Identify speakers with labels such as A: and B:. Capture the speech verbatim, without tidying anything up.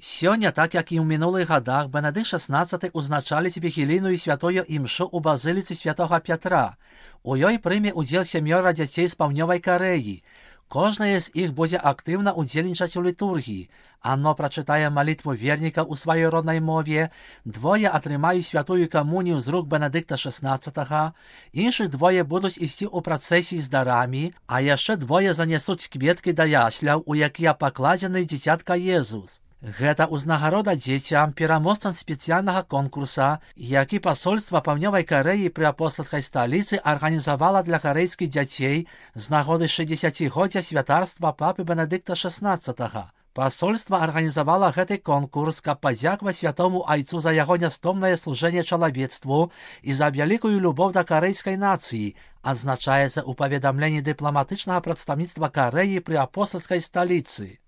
A: Сёння, так як і ў мінулых гадах, Бенедыкт шаснаццаты узначаліць вігілійную святую імшу ў базыліцы святога Пятра. У ёй прыме ўдзел сямёра дзяцей з паўднёвай Карэі. Кожнае з іх будзе актыўна ўдзельнічаць у літургіі. Анно прачытае малітву верніка ў сваёй роднай мове, двое атрымаюць святую камунію з рук Бенедыкта шаснаццатага, іншых двое будуць ісці ў працэсіі з дарамі, а яшчэ двое занясуць кветкі да ясляў, у якія пакладзены дзіцятка Езус. Гэта ўзнагарода дзецям, пераможцам спецыяльнага конкурса, які пасольства паўднёвай Карэі пры апостальскай сталіцы арганізавала для карэйскіх дзяцей з нагоды шэсцідзесяцігоддзя святарства папы Бенедыкта шаснаццатага. Пасольства арганізавала гэты конкурс, каб падзякаваць святому айцу за яго нястомнае служэнне чалавецтву і за вялікую любоў да карэйскай нацыі, адзначаецца ў паведамленні дыпламатычнага прадстаўніцтва Карэі пры апостальскай сталіцы.